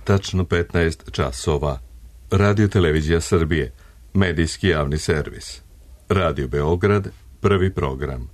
tačno 15 časova. Radio Televizija Srbije, medijski javni servis. Radio Beograd, prvi program.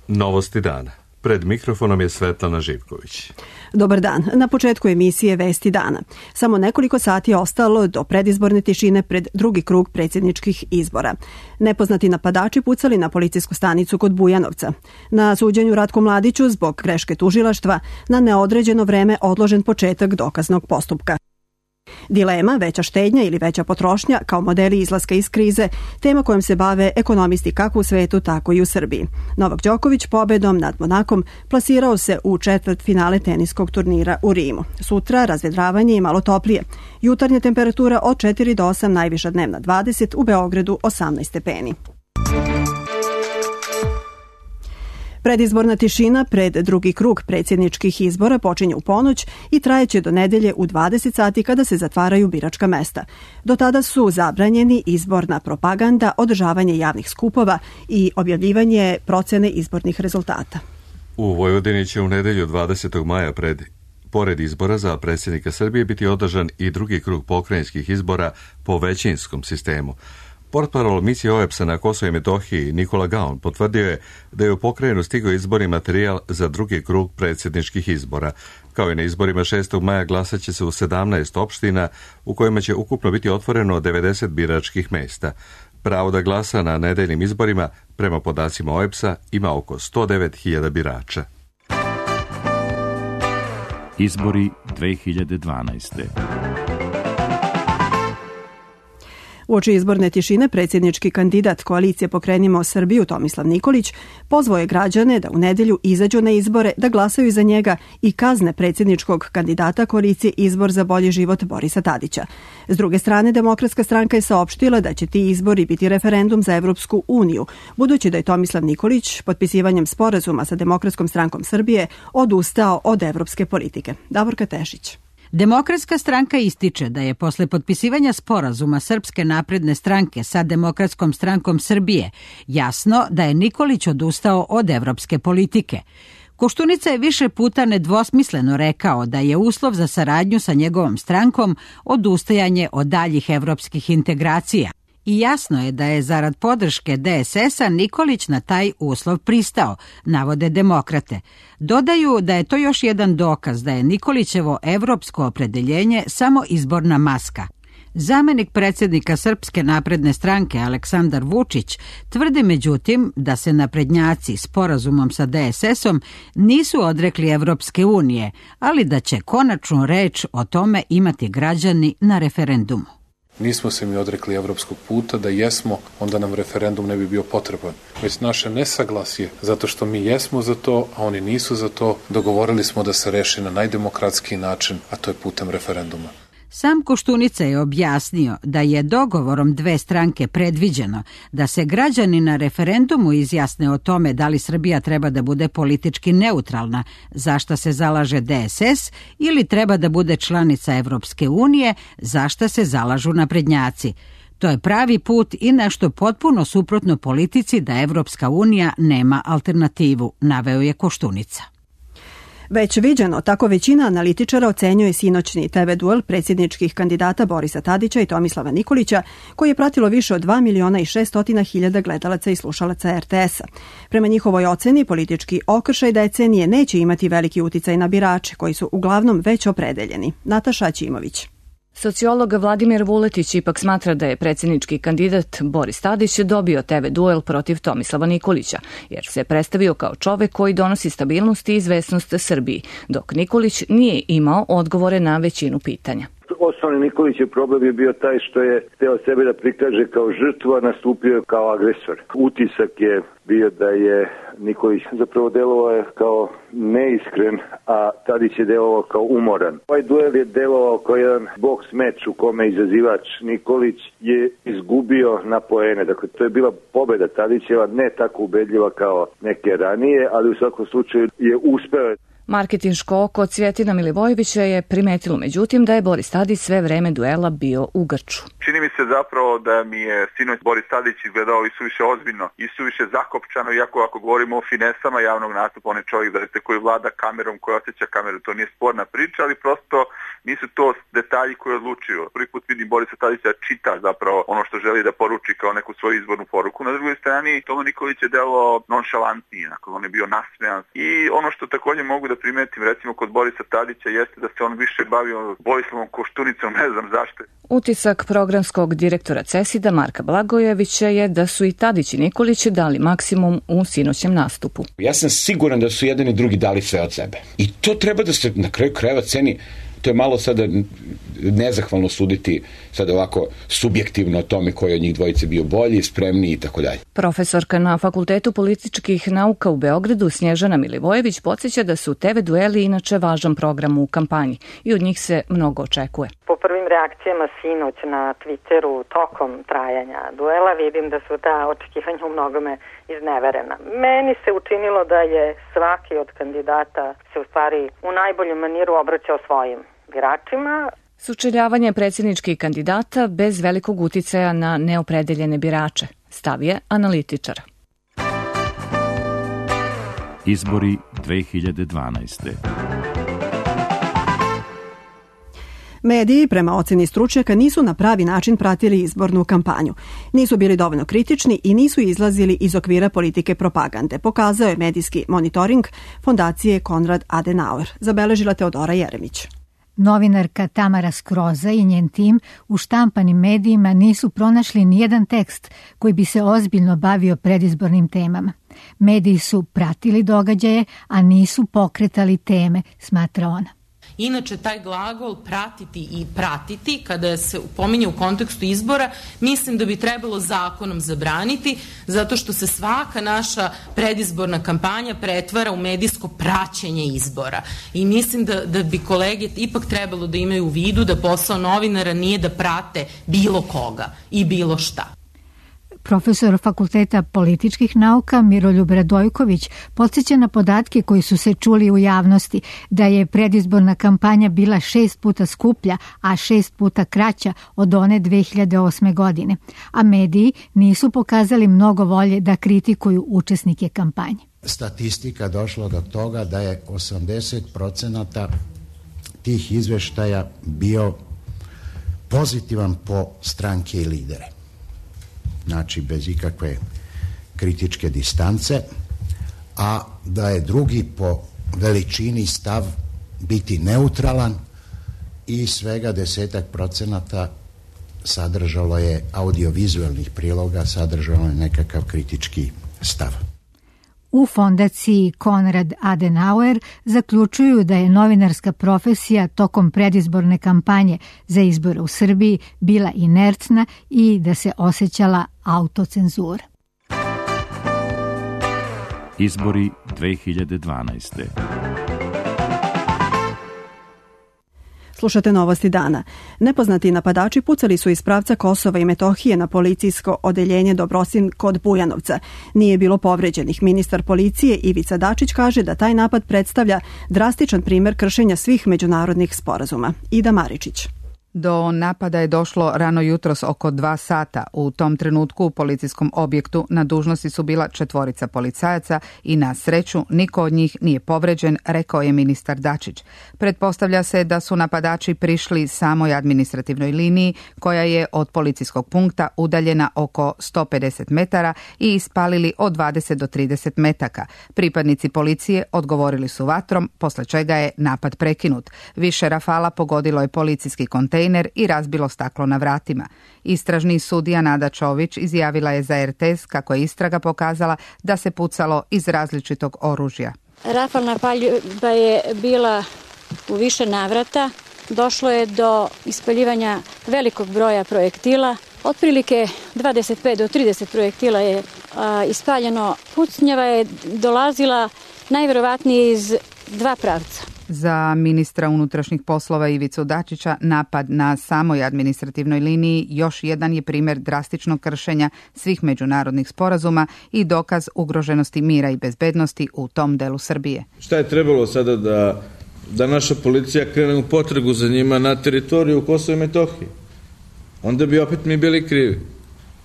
Novosti dana. Pred mikrofonom je Svetlana Živković. Dobar dan. Na početku emisije Vesti dana. Samo nekoliko sati je ostalo do predizborne tišine pred drugi krug predsjedničkih izbora. Nepoznati napadači pucali na policijsku stanicu kod Bujanovca. Na suđenju Ratku Mladiću zbog greške tužilaštva na neodređeno vreme odložen početak dokaznog postupka. Dilema, veća štednja ili veća potrošnja kao modeli izlaska iz krize, tema kojom se bave ekonomisti kako u svetu, tako i u Srbiji. Novak Đoković pobedom nad Monakom plasirao se u četvrtfinale teniskog turnira u Rimu. Sutra razvedravanje i malo toplije. Jutarnja temperatura od 4 do 8, najviša dnevna 20, u Beogradu 18 stepeni. Predizborna tišina pred drugi krug predsjedničkih izbora počinje u ponoć i trajeće do nedelje u 20 sati kada se zatvaraju biračka mesta. Do tada su zabranjeni izborna propaganda, održavanje javnih skupova i objavljivanje procene izbornih rezultata. U Vojvodini će u nedelju 20. maja pored izbora za predsjednika Srbije biti održan i drugi krug pokrajinskih izbora po većinskom sistemu. Portparol misije OEBS-a na Kosovu i Metohiji Nikola Gaon potvrdio je da je u pokrajinu stigao izborni materijal za drugi krug predsjedničkih izbora. Kao i na izborima 6. maja glasat će se u 17 opština u kojima će ukupno biti otvoreno 90 biračkih mesta. Pravo da glasa na nedeljnim izborima, prema podacima OEBS-a, ima oko 109.000 birača. Izbori 2012. Uoči izborne tišine predsjednički kandidat koalicije Pokrenimo Srbiju Tomislav Nikolić pozvao je građane da u nedelju izađu na izbore, da glasaju za njega i kazne predsjedničkog kandidata koalicije Izbor za bolji život Borisa Tadića. S druge strane, Demokratska stranka je saopštila da će ti izbori biti referendum za Evropsku uniju, budući da je Tomislav Nikolić potpisivanjem sporazuma sa Demokratskom strankom Srbije odustao od evropske politike. Davorka Tešić. Demokratska stranka ističe da je posle potpisivanja sporazuma Srpske napredne stranke sa Demokratskom strankom Srbije jasno da je Nikolić odustao od evropske politike. Koštunica je više puta nedvosmisleno rekao da je uslov za saradnju sa njegovom strankom odustajanje od daljih evropskih integracija. I jasno je da je zarad podrške DSS-a Nikolić na taj uslov pristao, navode demokrate. Dodaju da je to još jedan dokaz da je Nikolićevo evropsko opredeljenje samo izborna maska. Zamenik predsjednika Srpske napredne stranke Aleksandar Vučić tvrdi međutim da se naprednjaci sporazumom sa DSS-om nisu odrekli Evropske unije, ali da će konačnu reč o tome imati građani na referendumu. Nismo se mi odrekli evropskog puta, da jesmo, onda nam referendum ne bi bio potreban. Već naše nesaglasje, zato što mi jesmo za to, a oni nisu za to, dogovorili smo da se reši na najdemokratskiji način, a to je putem referenduma. Sam Koštunica je objasnio da je dogovorom dve stranke predviđeno da se građani na referendumu izjasne o tome da li Srbija treba da bude politički neutralna, za šta se zalaže DSS, ili treba da bude članica Evropske unije, za šta se zalažu naprednjaci. To je pravi put i nešto potpuno suprotno politici da Evropska unija nema alternativu, naveo je Koštunica. Već viđeno, tako većina analitičara ocenjuje sinoćni TV duel predsjedničkih kandidata Borisa Tadića i Tomislava Nikolića, koji je pratilo više od 2.600.000 gledalaca i slušalaca RTS-a. Prema njihovoj oceni, politički okršaj decenije neće imati veliki uticaj na birače, koji su uglavnom već opredeljeni. Nataša Ćimović. Sociolog Vladimir Vuletić ipak smatra da je predsjednički kandidat Boris Tadić dobio TV duel protiv Tomislava Nikolića, jer se predstavio kao čovek koji donosi stabilnost i izvesnost Srbiji, dok Nikolić nije imao odgovore na većinu pitanja. Osnovni Nikolićev problem je bio taj što je hteo sebe da prikaže kao žrtvu, a nastupio kao agresor. Utisak je bio da je Nikolić zapravo delovao kao neiskren, a Tadić je delovao kao umoran. Ovaj duel je delovao kao jedan boks meč u kome izazivač Nikolić je izgubio na poene. Dakle, to je bila pobeda Tadićeva, ne tako ubedljiva kao neke ranije, ali u svakom slučaju je uspeo. Marketinško oko Cvjetina Milivojevića je primetilo međutim da je Boris Tadić sve vreme duela bio u grču. Čini mi se zapravo da mi je sinoć Boris Tadić izgledao isuviše ozbiljno, isuviše zakopčano, iako ako govorimo o finesama javnog nastupa, on je čovjek koji vlada kamerom, koji osjeća kameru, to nije sporna priča, ali prosto nisu to detalji koji odlučuju. Prvi put vidim Borisa Tadića čita zapravo ono što želi da poruči kao neku svoju izbornu poruku. Na drugoj strani Tomo Nikolić je delo nonšalantniji, on je bio nasmejan. I ono što također mogu da primetim recimo kod Borisa Tadića jeste da se on više bavio Borislavom Koštunicom, ne znam zašto. Utisak programskog direktora CESID-a Marka Blagojevića je da su i Tadić i Nikolić dali maksimum u sinoćem nastupu. Ja sam siguran da su jedan i drugi dali sve od sebe. I to treba da se na kraju krajeva ceni. To je malo sada nezahvalno suditi sada ovako subjektivno o tome koji od njih dvojice bio bolji, spremniji i tako dalje. Profesorka na Fakultetu političkih nauka u Beogradu Snježana Milivojević podsjeća da su TV dueli inače važan program u kampanji i od njih se mnogo očekuje. Po prvim reakcijama sinoć na Twitteru tokom trajanja duela vidim da su ta očekivanja u mnogome izneverena. Meni se učinilo da je svaki od kandidata se u stvari u najboljem maniru obraćao svojim biračima. Sučeljavanje predsjedničkih kandidata bez velikog uticaja na neopredeljene birače, stav je analitičara. Izbori 2012. Mediji, prema oceni stručnjaka, nisu na pravi način pratili izbornu kampanju. Nisu bili dovoljno kritični i nisu izlazili iz okvira politike propagande, pokazao je medijski monitoring fondacije Konrad Adenauer, zabeležila Teodora Jeremić. Novinarka Tamara Skroza i njen tim u štampanim medijima nisu pronašli nijedan tekst koji bi se ozbiljno bavio predizbornim temama. Mediji su pratili događaje, a nisu pokretali teme, smatra ona. Inače, taj glagol pratiti i pratiti, kada se pominje u kontekstu izbora, mislim da bi trebalo zakonom zabraniti, zato što se svaka naša predizborna kampanja pretvara u medijsko praćenje izbora. I mislim da bi kolege ipak trebalo da imaju u vidu da posao novinara nije da prate bilo koga i bilo šta. Profesor Fakulteta političkih nauka Miroljub Radojković podsjeća na podatke koji su se čuli u javnosti da je predizborna kampanja bila 6 puta skuplja, a 6 puta kraća od one 2008. godine, a mediji nisu pokazali mnogo volje da kritikuju učesnike kampanje. Statistika došla do toga da je 80% tih izveštaja bio pozitivan po stranke i lidere. Znači bez ikakve kritičke distance, a da je drugi po veličini stav biti neutralan i svega 10% sadržalo je audiovizualnih priloga, sadržalo je nekakav kritički stav. U fondaciji Konrad Adenauer zaključuju da je novinarska profesija tokom predizborne kampanje za izbore u Srbiji bila inertna i da se osjećala autocenzura. Izbori 2012. Slušate novosti dana. Nepoznati napadači pucali su iz pravca Kosova i Metohije na policijsko odeljenje Dobrosin kod Bujanovca. Nije bilo povređenih. Ministar policije Ivica Dačić kaže da taj napad predstavlja drastičan primer kršenja svih međunarodnih sporazuma. Ida Maričić. Do napada je došlo rano jutros oko 2 sata. U tom trenutku u policijskom objektu na dužnosti su bila 4 policajaca i na sreću niko od njih nije povređen, rekao je ministar Dačić. Pretpostavlja se da su napadači prišli samoj administrativnoj liniji koja je od policijskog punkta udaljena oko 150 metara i ispalili od 20 do 30 metaka. Pripadnici policije odgovorili su vatrom, posle čega je napad prekinut. Više rafala pogodilo je policijski kontejner i razbilo staklo na vratima. Istražni sudija Nada Čović izjavila je za RTS kako je istraga pokazala da se pucalo iz različitog oružja. Rafalna paljba je bila u više navrata. Došlo je do ispaljivanja velikog broja projektila. Otprilike 25 do 30 projektila je ispaljeno. Pucnjava je dolazila najverovatnije iz 2 pravca. Za ministra unutrašnjih poslova Ivicu Dačića napad na samoj administrativnoj liniji još jedan je primjer drastičnog kršenja svih međunarodnih sporazuma i dokaz ugroženosti mira i bezbednosti u tom delu Srbije. Šta je trebalo sada da naša policija krene u potragu za njima na teritoriju Kosova i Metohije? Onda bi opet mi bili krivi.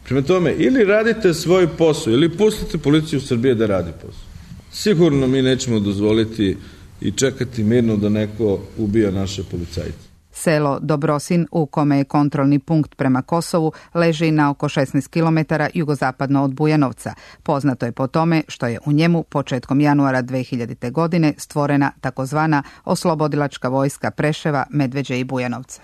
Prema tome, ili radite svoj posao, ili pustite policiju Srbije da radi posao. Sigurno mi nećemo dozvoliti i čekati mirno da neko ubija naše policajce. Selo Dobrosin, u kome je kontrolni punkt prema Kosovu, leži na oko 16 km jugozapadno od Bujanovca. Poznato je po tome što je u njemu početkom januara 2000. godine stvorena takozvana oslobodilačka vojska Preševa, Medveđe i Bujanovca.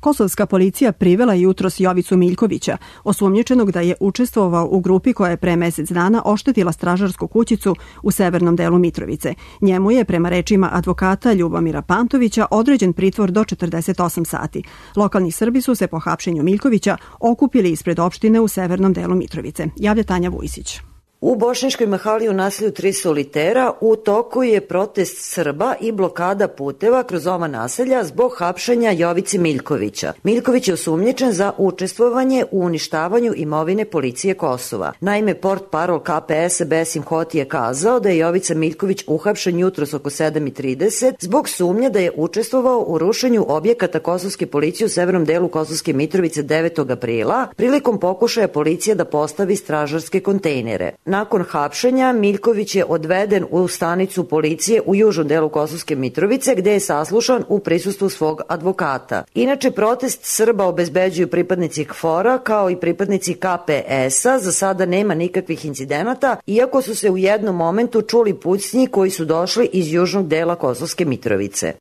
Kosovska policija privela jutros Jovicu Miljkovića, osumnjičenog da je učestvovao u grupi koja je pre mesec dana oštetila stražarsku kućicu u severnom delu Mitrovice. Njemu je, prema rečima advokata Ljubomira Pantovića, određen pritvor do 48 sati. Lokalni Srbi su se po hapšenju Miljkovića okupili ispred opštine u severnom delu Mitrovice. Javlja Tanja Vujsić. U Bošnjačkoj mahali u naselju Tri solitera u toku je protest Srba i blokada puteva kroz ova naselja zbog hapšenja Jovice Miljkovića. Miljković je osumnjičen za učestvovanje u uništavanju imovine policije Kosova. Naime, portparol KPS Besim Hoti je kazao da je Jovica Miljković uhapšen jutros oko 7:30 zbog sumnje da je učestvovao u rušenju objekata kosovske policije u severnom delu Kosovske Mitrovice 9. aprila prilikom pokušaja policije da postavi stražarske kontejnere. Nakon hapšenja, Miljković je odveden u stanicu policije u južnom delu Kosovske Mitrovice, gde je saslušan u prisustvu svog advokata. Inače, protest Srba obezbeđuju pripadnici KFOR-a kao i pripadnici KPS-a. Za sada nema nikakvih incidenata, iako su se u jednom momentu čuli pucnji koji su došli iz južnog dela Kosovske Mitrovice.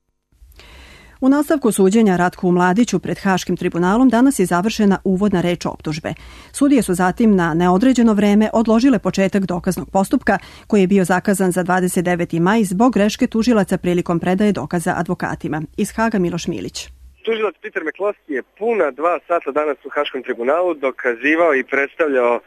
U nastavku suđenja Ratku Mladiću pred Haškim tribunalom danas je završena uvodna reč optužbe. Sudije su zatim na neodređeno vreme odložile početak dokaznog postupka koji je bio zakazan za 29. maj zbog greške tužilaca prilikom predaje dokaza advokatima. Iz Haga Miloš Milić. Tužilac Peter McCloskey je puna 2 sata danas u Haškom tribunalu dokazivao i predstavljao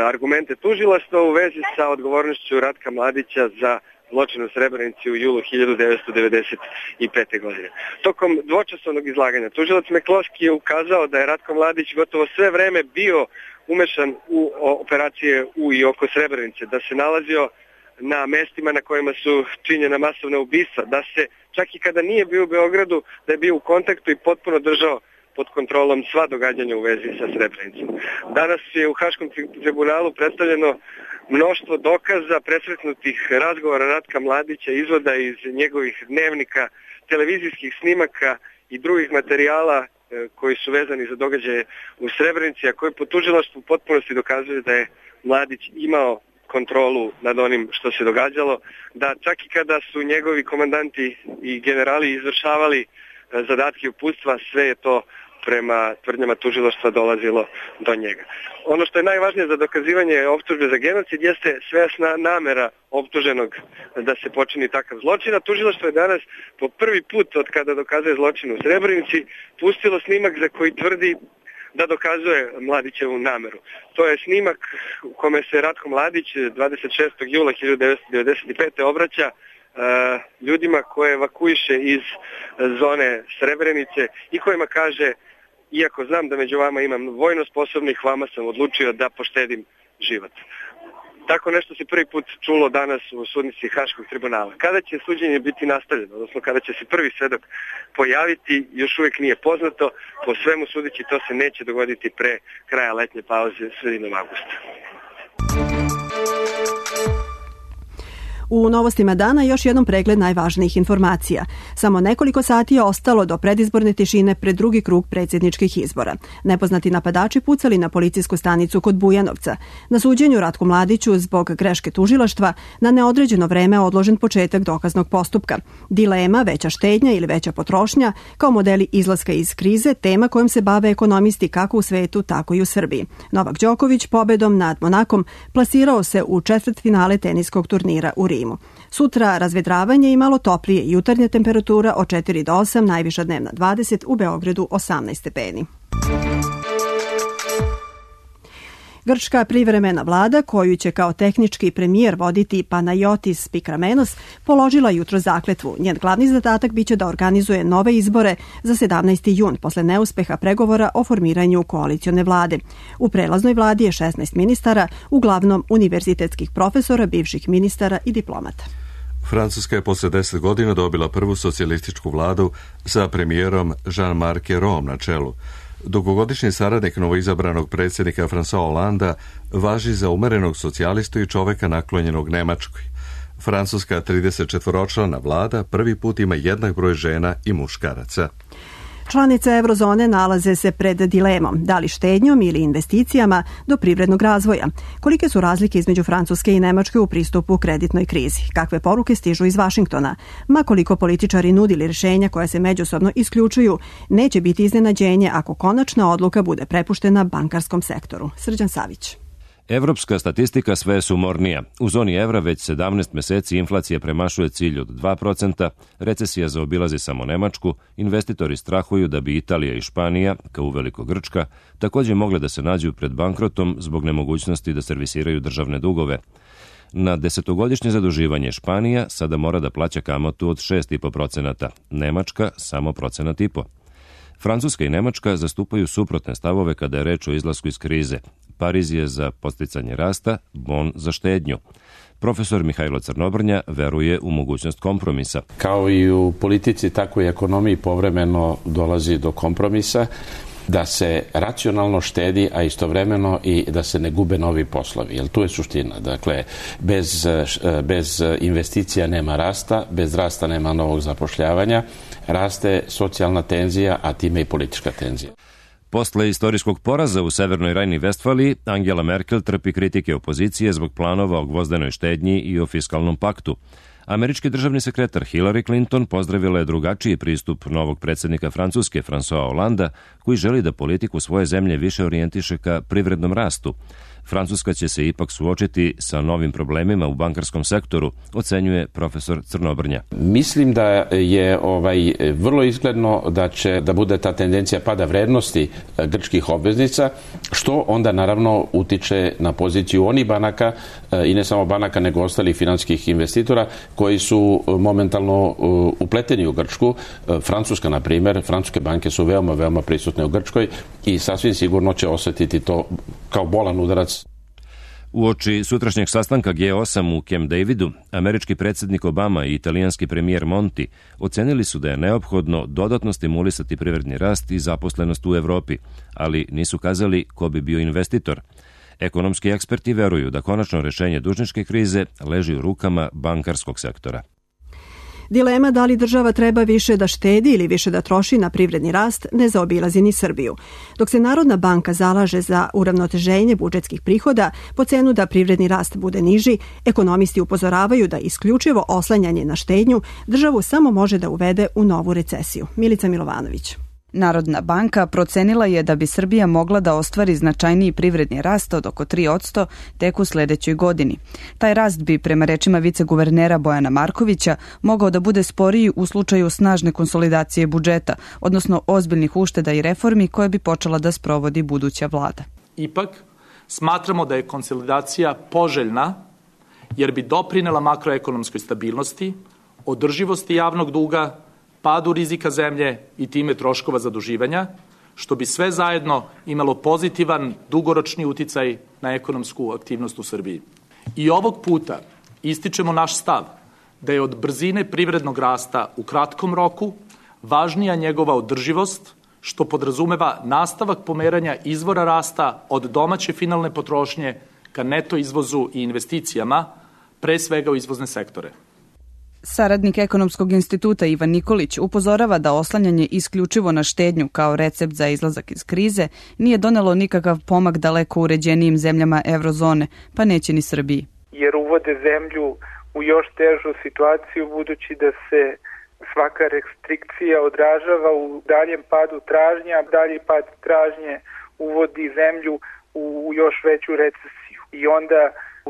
argumente tužilaštva u vezi sa odgovornošću Ratka Mladića za zločin u Srebrenici u julu 1995. godine. Tokom dvočasovnog izlaganja tužilac McCloskey je ukazao da je Ratko Mladić gotovo sve vreme bio umešan u operacije u i oko Srebrenice, da se nalazio na mestima na kojima su činjena masovna ubistva, da se čak i kada nije bio u Beogradu, da je bio u kontaktu i potpuno držao pod kontrolom sva događanja u vezi sa Srebrenicom. Danas je u Haškom tribunalu predstavljeno mnoštvo dokaza, presretnutih razgovora Ratka Mladića, izvoda iz njegovih dnevnika, televizijskih snimaka i drugih materijala koji su vezani za događaje u Srebrenici, a koji po tužilaštvu u potpunosti dokazuju da je Mladić imao kontrolu nad onim što se događalo, da čak i kada su njegovi komandanti i generali izvršavali zadatke uputstva, sve je to prema tvrdnjama tužilaštva dolazilo do njega. Ono što je najvažnije za dokazivanje optužbe za genocid jeste svesna namera optuženog da se počini takav zločin, a tužilaštvo je danas po prvi put od kada dokazuje zločin u Srebrenici pustilo snimak za koji tvrdi da dokazuje Mladićevu nameru. To je snimak u kome se Ratko Mladić 26. jula 1995. obraća ljudima koje evakuiše iz zone Srebrenice i kojima kaže: iako znam da među vama imam vojno sposobnih, vama sam odlučio da poštedim život. Tako nešto se prvi put čulo danas u sudnici Haškog tribunala. Kada će suđenje biti nastavljeno, odnosno kada će se prvi svedok pojaviti, još uvijek nije poznato. Po svemu sudeći, to se neće dogoditi pre kraja letnje pauze sredinom avgusta. U novostima dana još jednom pregled najvažnijih informacija. Samo nekoliko sati je ostalo do predizborne tišine pred drugi krug predsjedničkih izbora. Nepoznati napadači pucali na policijsku stanicu kod Bujanovca. Na suđenju Ratku Mladiću zbog greške tužilaštva na neodređeno vreme odložen početak dokaznog postupka. Dilema, veća štednja ili veća potrošnja kao modeli izlaska iz krize, tema kojom se bave ekonomisti kako u svetu, tako i u Srbiji. Novak Đoković pobedom nad Monakom plasirao se u četvrtfinale teniskog turnira u Rimu. Sutra razvedravanje i malo toplije, jutarnja temperatura od 4 do 8, najviša dnevna 20, u Beogradu 18 stepeni. Grčka privremena vlada, koju će kao tehnički premijer voditi Panayotis Pikramenos, položila jutro zakletvu. Njen glavni zadatak biće da organizuje nove izbore za 17. jun posle neuspeha pregovora o formiranju koalicione vlade. U prelaznoj vladi je 16 ministara, uglavnom univerzitetskih profesora, bivših ministara i diplomata. Francuska je posle 10 godina dobila prvu socijalističku vladu sa premijerom Jean-Marc Ayrault na čelu. Dugogodišnji saradnik novoizabranog predsjednika François Hollanda važi za umerenog socijalistu i čoveka naklonjenog Nemačkoj. Francuska 34-člana vlada prvi put ima jednak broj žena i muškaraca. Članice eurozone nalaze se pred dilemom, da li štednjom ili investicijama do privrednog razvoja. Kolike su razlike između Francuske i Nemačke u pristupu kreditnoj krizi? Kakve poruke stižu iz Vašingtona? Ma koliko političari nudili rješenja koja se međusobno isključuju, neće biti iznenađenje ako konačna odluka bude prepuštena bankarskom sektoru. Srđan Savić. Evropska statistika sve je sumornija. U zoni evra već 17 meseci inflacija premašuje cilj od 2%, recesija zaobilazi samo Nemačku, investitori strahuju da bi Italija i Španija, kao uveliko Grčka, također mogle da se nađu pred bankrotom zbog nemogućnosti da servisiraju državne dugove. Na 10-godišnje zaduživanje Španija sada mora da plaća kamatu od 6,5%, Nemačka samo 1,5%. Francuska i Nemačka zastupaju suprotne stavove kada je reč o izlasku iz krize. Pariz je za podsticanje rasta, Bon za štednju. Profesor Mihajlo Crnobrnja veruje u mogućnost kompromisa. Kao i u politici, tako i ekonomiji povremeno dolazi do kompromisa, da se racionalno štedi, a istovremeno i da se ne gube novi poslovi. Jer tu je suština. Dakle, bez investicija nema rasta, bez rasta nema novog zapošljavanja, raste socijalna tenzija, a time i politička tenzija. Posle istorijskog poraza u Severnoj Rajni-Vestfaliji, Angela Merkel trpi kritike opozicije zbog planova o gvozdenoj štednji i o fiskalnom paktu. Američki državni sekretar Hillary Clinton pozdravila je drugačiji pristup novog predsjednika Francuske François Hollanda, koji želi da politiku svoje zemlje više orijentiše ka privrednom rastu. Francuska će se ipak suočiti sa novim problemima u bankarskom sektoru, ocenjuje profesor Crnobrnja. Mislim da je vrlo izgledno da će da bude ta tendencija pada vrednosti grčkih obveznica, što onda naravno utiče na poziciju onih banaka i ne samo banaka nego ostalih finansijskih investitora koji su momentalno upleteni u Grčku. Francuska, na primjer, francuske banke su veoma prisutne u Grčkoj i sasvim sigurno će osjetiti to kao bolan udarac. Uoči sutrašnjeg sastanka G8 u Camp Davidu, američki predsjednik Obama i italijanski premijer Monti ocenili su da je neophodno dodatno stimulisati privredni rast i zaposlenost u Evropi, ali nisu kazali ko bi bio investitor. Ekonomski eksperti veruju da konačno rješenje dužničke krize leži u rukama bankarskog sektora. Dilema da li država treba više da štedi ili više da troši na privredni rast ne zaobilazi ni Srbiju. Dok se Narodna banka zalaže za uravnoteženje budžetskih prihoda po cenu da privredni rast bude niži, ekonomisti upozoravaju da isključivo oslanjanje na štednju državu samo može da uvede u novu recesiju. Milica Milovanović. Narodna banka procenila je da bi Srbija mogla da ostvari značajniji privredni rast od oko 3% tek u sljedećoj godini. Taj rast bi, prema rečima viceguvernera Bojana Markovića, mogao da bude sporiji u slučaju snažne konsolidacije budžeta, odnosno ozbiljnih ušteda i reformi koje bi počela da sprovodi buduća vlada. Ipak, smatramo da je konsolidacija poželjna jer bi doprinela makroekonomskoj stabilnosti, održivosti javnog duga, padu rizika zemlje i time troškova zaduživanja, što bi sve zajedno imalo pozitivan dugoročni uticaj na ekonomsku aktivnost u Srbiji. I ovog puta ističemo naš stav da je od brzine privrednog rasta u kratkom roku važnija njegova održivost, što podrazumeva nastavak pomeranja izvora rasta od domaće finalne potrošnje ka neto izvozu i investicijama, pre svega u izvozne sektore. Saradnik Ekonomskog instituta Ivan Nikolić upozorava da oslanjanje isključivo na štednju kao recept za izlazak iz krize nije donelo nikakav pomak daleko uređenijim zemljama eurozone, pa neće ni Srbiji. Jer uvode zemlju u još težu situaciju budući da se svaka restrikcija odražava u daljem padu tražnje, a dalji pad tražnje uvodi zemlju u još veću recesiju. I onda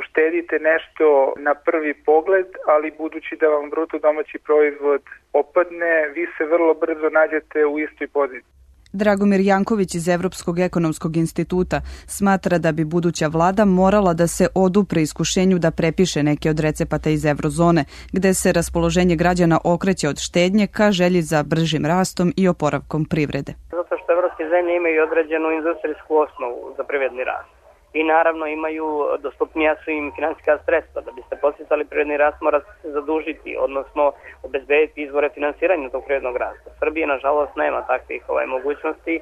uštedite nešto na prvi pogled, ali budući da vam bruto domaći proizvod opadne, vi se vrlo brzo nađete u istoj poziciji. Dragomir Janković iz Evropskog ekonomskog instituta smatra da bi buduća vlada morala da se odupre iskušenju da prepiše neke od recepata iz eurozone, gde se raspoloženje građana okreće od štednje ka želji za bržim rastom i oporavkom privrede. Zato što evropske zemlje imaju određenu industrijsku osnovu za privredni rast. I naravno imaju, dostupnija su im finansijska sredstva. Da biste podsticali privredni rast mora se zadužiti, odnosno obezbediti izvore finansiranja tog privrednog rasta. Srbija nažalost nema takvih mogućnosti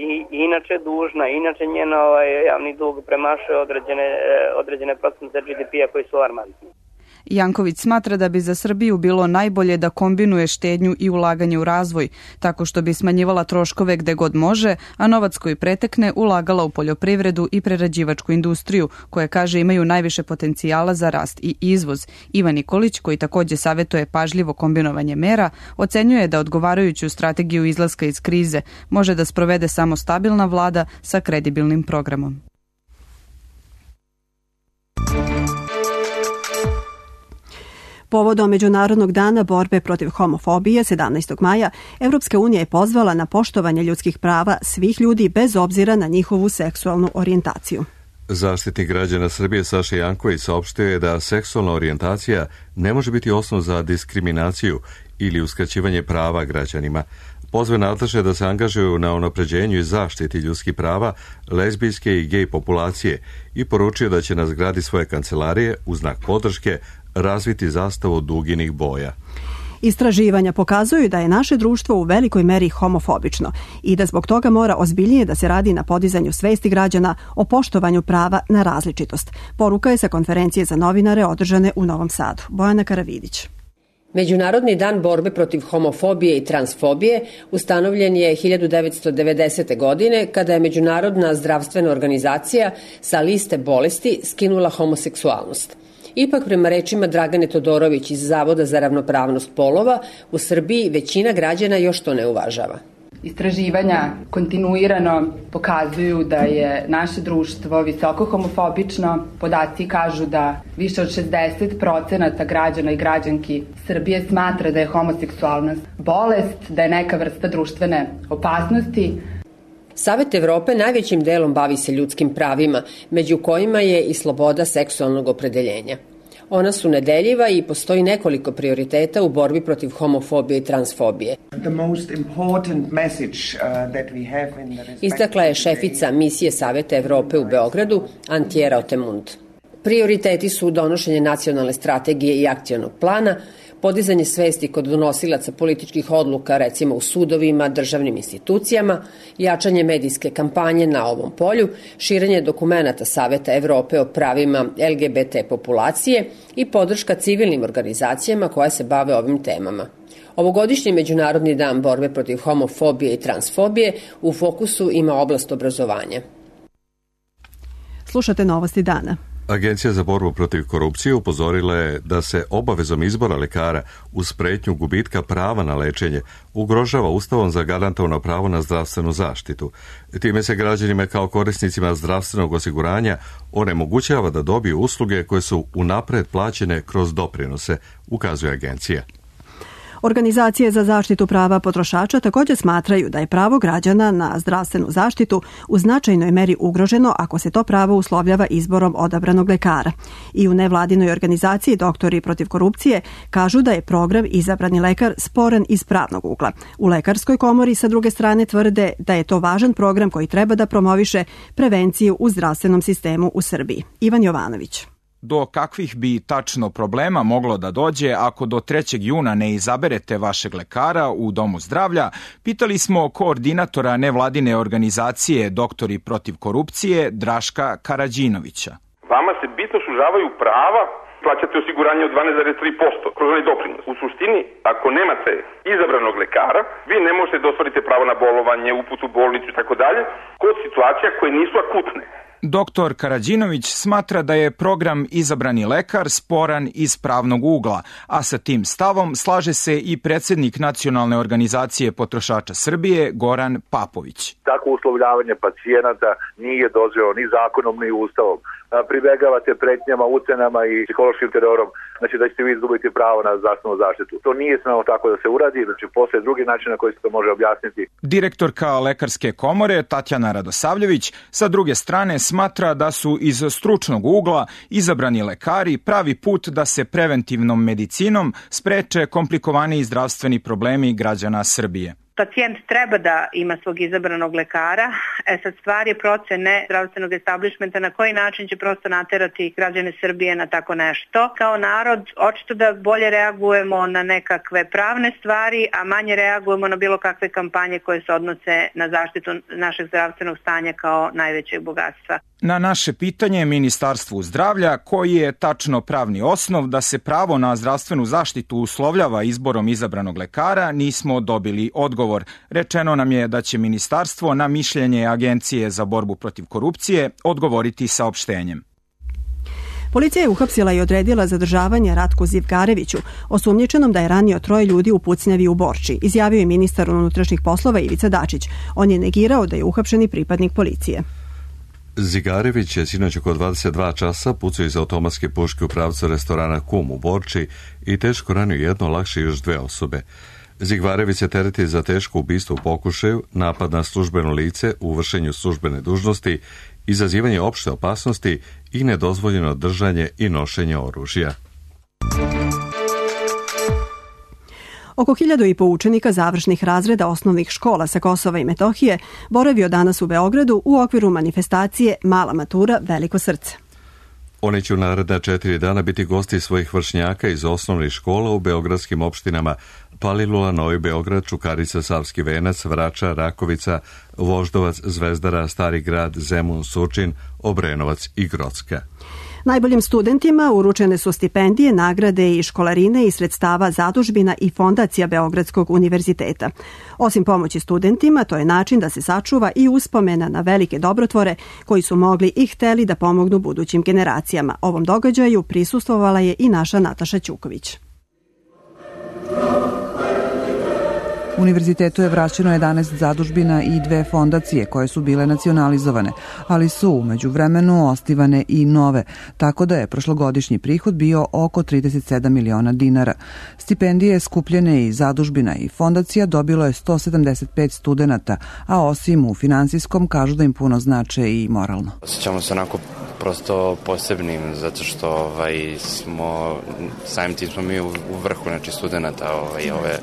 i inače dužna, inače njen javni dug premašuje određene procente GDP-a koji su alarmantni. Janković smatra da bi za Srbiju bilo najbolje da kombinuje štednju i ulaganje u razvoj, tako što bi smanjivala troškove gde god može, a novac koji pretekne ulagala u poljoprivredu i prerađivačku industriju, koje kaže imaju najviše potencijala za rast i izvoz. Ivan Nikolić, koji takođe savetuje pažljivo kombinovanje mera, ocenjuje da odgovarajuću strategiju izlaska iz krize može da sprovede samo stabilna vlada sa kredibilnim programom. Povodom Međunarodnog dana borbe protiv homofobije 17. maja, Evropska unija je pozvala na poštovanje ljudskih prava svih ljudi bez obzira na njihovu seksualnu orijentaciju. Zaštitnik građana Srbije Saša Janković saopštio je da seksualna orijentacija ne može biti osnov za diskriminaciju ili uskraćivanje prava građanima. Pozve nadležne da se angažuju na unapređenju i zaštiti ljudskih prava lezbijske i gej populacije i poručio da će na zgradi svoje kancelarije u znak podrške razviti zastavu duginih boja. Istraživanja pokazuju da je naše društvo u velikoj meri homofobično i da zbog toga mora ozbiljnije da se radi na podizanju svesti građana o poštovanju prava na različitost. Poruka je sa konferencije za novinare održane u Novom Sadu. Bojana Karavidić. Međunarodni dan borbe protiv homofobije i transfobije ustanovljen je 1990. godine kada je Međunarodna zdravstvena organizacija sa liste bolesti skinula homoseksualnost. Ipak, prema rečima Dragane Todorović iz Zavoda za ravnopravnost polova, u Srbiji većina građana još to ne uvažava. Istraživanja kontinuirano pokazuju da je naše društvo visoko homofobično. Podaci kažu da više od 60% građana i građanki Srbije smatra da je homoseksualnost bolest, da je neka vrsta društvene opasnosti. Savet Evrope najvećim delom bavi se ljudskim pravima, među kojima je i sloboda seksualnog opredeljenja. Ona su nedeljiva i postoji nekoliko prioriteta u borbi protiv homofobije i transfobije. Istakla je šefica misije Saveta Evrope u Beogradu, Antjera Otemund. Prioriteti su donošenje nacionalne strategije i akcionog plana, podizanje svesti kod donosilaca političkih odluka, recimo u sudovima, državnim institucijama, jačanje medijske kampanje na ovom polju, širenje dokumenata Saveta Evrope o pravima LGBT populacije i podrška civilnim organizacijama koje se bave ovim temama. Ovogodišnji Međunarodni dan borbe protiv homofobije i transfobije u fokusu ima oblast obrazovanja. Slušate novosti dana. Agencija za borbu protiv korupcije upozorila je da se obavezom izbora lekara uz pretnju gubitka prava na lečenje ugrožava Ustavom zagarantovano pravo na zdravstvenu zaštitu. Time se građanima kao korisnicima zdravstvenog osiguranja onemogućava da dobiju usluge koje su unapred plaćene kroz doprinose, ukazuje agencija. Organizacije za zaštitu prava potrošača također smatraju da je pravo građana na zdravstvenu zaštitu u značajnoj meri ugroženo ako se to pravo uslovljava izborom odabranog lekara. I u nevladinoj organizaciji Doktori protiv korupcije kažu da je program Izabrani lekar sporan iz pravnog ugla. U Lekarskoj komori sa druge strane tvrde da je to važan program koji treba da promoviše prevenciju u zdravstvenom sistemu u Srbiji. Ivan Jovanović. Do kakvih bi tačno problema moglo da dođe ako do 3. juna ne izaberete vašeg lekara u Domu zdravlja, pitali smo koordinatora nevladine organizacije Doktori protiv korupcije Draška Karađinovića. Vama se bitno sužavaju prava, plaćate osiguranje od 12,3% kroz onaj doprinos. U suštini, ako nemate izabranog lekara, vi ne možete da ostvarite pravo na bolovanje, uputu u bolnicu i tako dalje, kod situacija koje nisu akutne. Doktor Karađinović smatra da je program Izabrani lekar sporan iz pravnog ugla, a sa tim stavom slaže se i predsjednik Nacionalne organizacije potrošača Srbije Goran Papović. Tako uslovljavanje pacijenata nije dozvoljeno ni zakonom ni ustavom. Pribegavate pretnjama, ucenama i psihološkim terorom znači da ćete vi izgubiti pravo na zdravstvenu zaštitu. To nije smelo tako da se uradi, znači postoje drugi način na koji se to može objasniti. Direktorka Lekarske komore Tatjana Radosavljević sa druge strane smatra da su iz stručnog ugla izabrani lekari pravi put da se preventivnom medicinom spreče komplikovani zdravstveni problemi građana Srbije. Pacijent treba da ima svog izabranog lekara. Sad stvar je procene zdravstvenog establishmenta na koji način će prosto naterati građane Srbije na tako nešto. Kao narod očito da bolje reagujemo na nekakve pravne stvari, a manje reagujemo na bilo kakve kampanje koje se odnose na zaštitu našeg zdravstvenog stanja kao najvećeg bogatstva. Na naše pitanje Ministarstvu zdravlja koji je tačno pravni osnov da se pravo na zdravstvenu zaštitu uslovljava izborom izabranog lekara nismo dobili odgovor. Rečeno nam je da će ministarstvo na mišljenje Agencije za borbu protiv korupcije odgovoriti saopštenjem. Policija je uhapsila i odredila zadržavanje Ratku Zivgareviću, osumnjičenom da je ranio 3 ljudi u pucnjavi u Borči, izjavio je ministar unutrašnjih poslova Ivica Dačić. On je negirao da je uhapšeni pripadnik policije. Zigarević je sinoć oko 22 časa pucao iz automatske puške u pravcu restorana Kum u Borči i teško ranio jedno, lakše još 2 osobe. Zigvarević se tereti za teško ubistvo u pokušaju, napad na službeno lice u vršenju službene dužnosti, izazivanje opšte opasnosti i nedozvoljeno držanje i nošenje oružja. Oko 1500 učenika završnih razreda osnovnih škola sa Kosova i Metohije boravio danas u Beogradu u okviru manifestacije Mala matura, veliko srce. Oni će u naredna 4 dana biti gosti svojih vršnjaka iz osnovnih škola u beogradskim opštinama Palilula, Novi Beograd, Čukarica, Savski Venac, Vračar, Rakovica, Voždovac, Zvezdara, Stari grad, Zemun, Surčin, Obrenovac i Grocka. Najboljim studentima uručene su stipendije, nagrade i školarine iz sredstava zadužbina i fondacija Beogradskog univerziteta. Osim pomoći studentima, to je način da se sačuva i uspomena na velike dobrotvore koji su mogli i hteli da pomognu budućim generacijama. Ovom događaju prisustvovala je i naša Nataša Ćuković. Univerzitetu je vraćeno 11 zadužbina i 2 fondacije koje su bile nacionalizovane, ali su u međuvremenu osnivane i nove, tako da je prošlogodišnji prihod bio oko 37 miliona dinara. Stipendije skupljene iz zadužbina i fondacija dobilo je 175 studenata, a osim u finansijskom kažu da im puno znače i moralno. Osjećamo se onako prosto posebnim, zato što samim tim smo mi u vrhu, znači studenata ove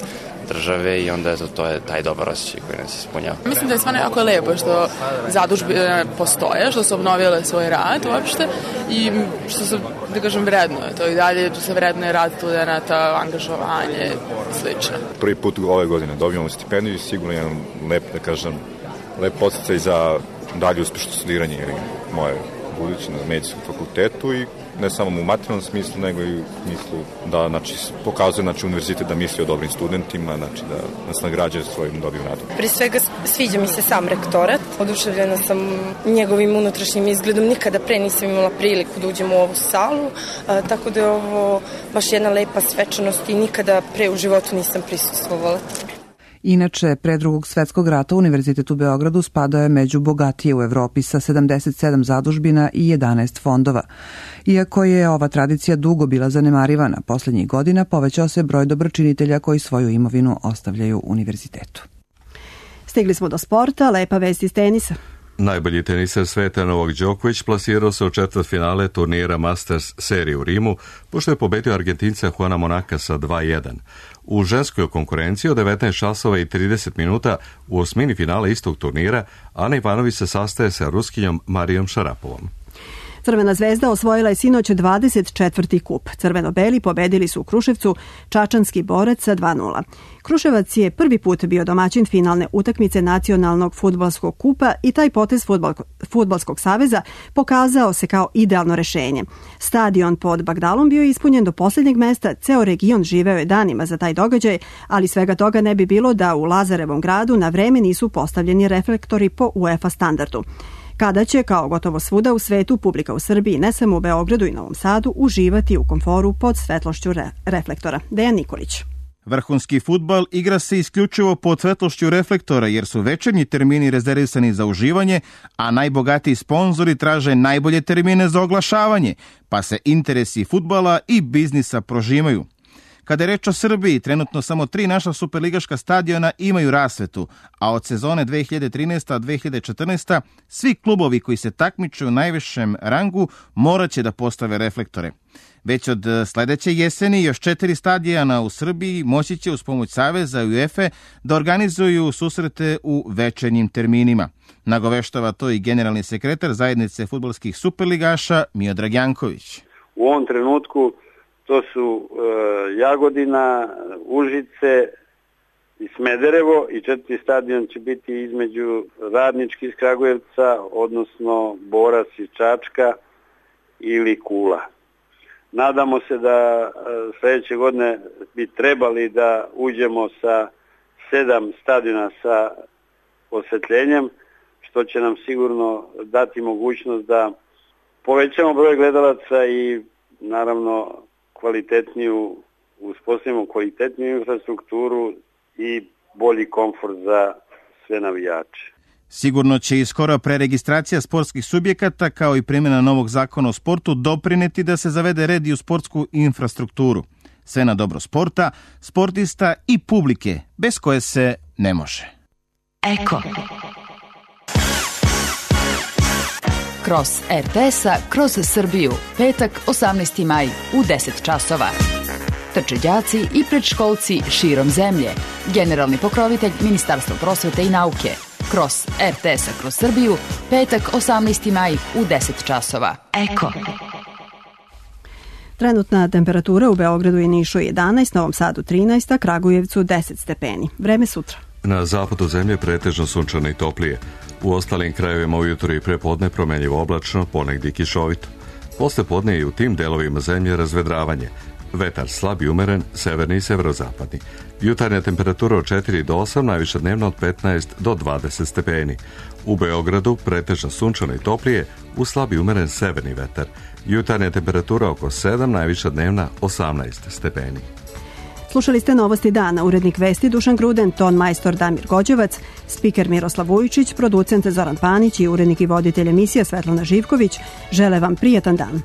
države i onda to je taj dobar osjećaj koji nas ispunjava. Mislim da je stvarno jako lepo što zadužbine postoje, što su obnovile svoj rad uopšte i što se, da kažem, vrednuje. To i dalje se vrednuje rad studenata, angažovanje i slično. Prvi put ove godine dobijamo stipendiju i sigurno jedan lep podsticaj za dalje uspešno studiranje moje buduće na medicinskom fakultetu i ne samo u materijalnom smislu, nego i u smislu da pokazuje univerzitet da misli o dobrim studentima, da nas nagrađuje svojim dobrim radom. Prije svega sviđa mi se sam rektorat, oduševljena sam njegovim unutrašnjim izgledom, nikada pre nisam imala priliku da uđem u ovu salu, tako da je ovo baš jedna lepa svečanost i nikada pre u životu nisam prisustvovala. Inače, pre Drugog svetskog rata Univerzitet u Beogradu spadao je među bogatije u Evropi sa 77 zadužbina i 11 fondova. Iako je ova tradicija dugo bila zanemarivana, poslednjih godina povećao se broj dobročinitelja koji svoju imovinu ostavljaju univerzitetu. Stigli smo do sporta, lepa vest iz tenisa. Najbolji teniser sveta Novak Đoković plasirao se u četvrtfinale turnira Masters serije u Rimu, pošto je pobedio Argentinca Juana Monaka sa 2-1. U ženskoj konkurenciji od 19 časova i 30 minuta u osmini finala istog turnira Ana Ivanović se sastaje sa Ruskinjom Marijom Šarapovom. Crvena zvezda osvojila je sinoć 24. kup. Crveno-beli pobedili su u Kruševcu Čačanski Borac sa 2-0. Kruševac je prvi put bio domaćin finalne utakmice nacionalnog fudbalskog kupa i taj potez Fudbalskog saveza pokazao se kao idealno rešenje. Stadion pod Bagdalom bio je ispunjen do posljednjeg mesta, ceo region živeo je danima za taj događaj, ali svega toga ne bi bilo da u Lazarevom gradu na vreme nisu postavljeni reflektori po UEFA standardu. Kada će, kao gotovo svuda u svetu, publika u Srbiji, ne samo u Beogradu i Novom Sadu, uživati u komforu pod svetlošću reflektora. Dejan Nikolić. Vrhunski fudbal igra se isključivo pod svetlošću reflektora jer su večernji termini rezervisani za uživanje, a najbogatiji sponzori traže najbolje termine za oglašavanje, pa se interesi fudbala i biznisa prožimaju. Kada je reč o Srbiji, trenutno samo 3 naša superligaška stadiona imaju rasvetu, a od sezone 2013-2014 svi klubovi koji se takmiče u najvišem rangu morat će da postave reflektore. Već od sledeće jeseni još 4 stadiona u Srbiji moći će uz pomoć Saveza i UEFA da organizuju susrete u večernjim terminima. Nagoveštava to i generalni sekretar zajednice fudbalskih superligaša Miodrag Janković. U ovom trenutku to su Jagodina, Užice i Smederevo i 4. stadion će biti između Radnički iz Kragujevca, odnosno Borac iz Čačka ili Kula. Nadamo se da sledeće godine bi trebali da uđemo sa 7 stadiona sa osvetljenjem, što će nam sigurno dati mogućnost da povećamo broj gledalaca i naravno uspostavimo kvalitetniju infrastrukturu i bolji komfort za sve navijače. Sigurno će i skoro preregistracija sportskih subjekata kao i primjena novog zakona o sportu doprineti da se zavede red i u sportsku infrastrukturu. Sve na dobro sporta, sportista i publike, bez koje se ne može. Eko. Kroz RTS-a, kroz Srbiju, petak 18. maj u 10 časova. Trče đaci i predškolci širom zemlje. Generalni pokrovitelj Ministarstva prosvete i nauke. Kroz RTS-a, kroz Srbiju, petak 18. maj u 10 časova. Eko. Trenutna temperatura u Beogradu i Nišu 11, Novom Sadu 13, a Kragujevcu 10 stepeni. Vreme sutra. Na zapadu zemlje pretežno sunčano i toplije. U ostalim krajevima ujutro i prepodne promenljivo oblačno, ponegdje kišovito. Posle podne i u tim delovima zemlje razvedravanje. Vetar slab i umeren, severni i severozapadni. Jutarnja temperatura od 4 do 8, najviša dnevno od 15 do 20 stepeni. U Beogradu pretežno sunčano i toplije, uz slab i umeren severni vetar. Jutarnja temperatura oko 7, najviša dnevna 18 stepeni. Slušali ste Novosti dana, urednik vesti Dušan Gruden, ton majstor Damir Gođevac, spiker Miroslav Vujičić, producent Zoran Panić i urednik i voditelj emisija Svetlana Živković. Žele vam prijatan dan.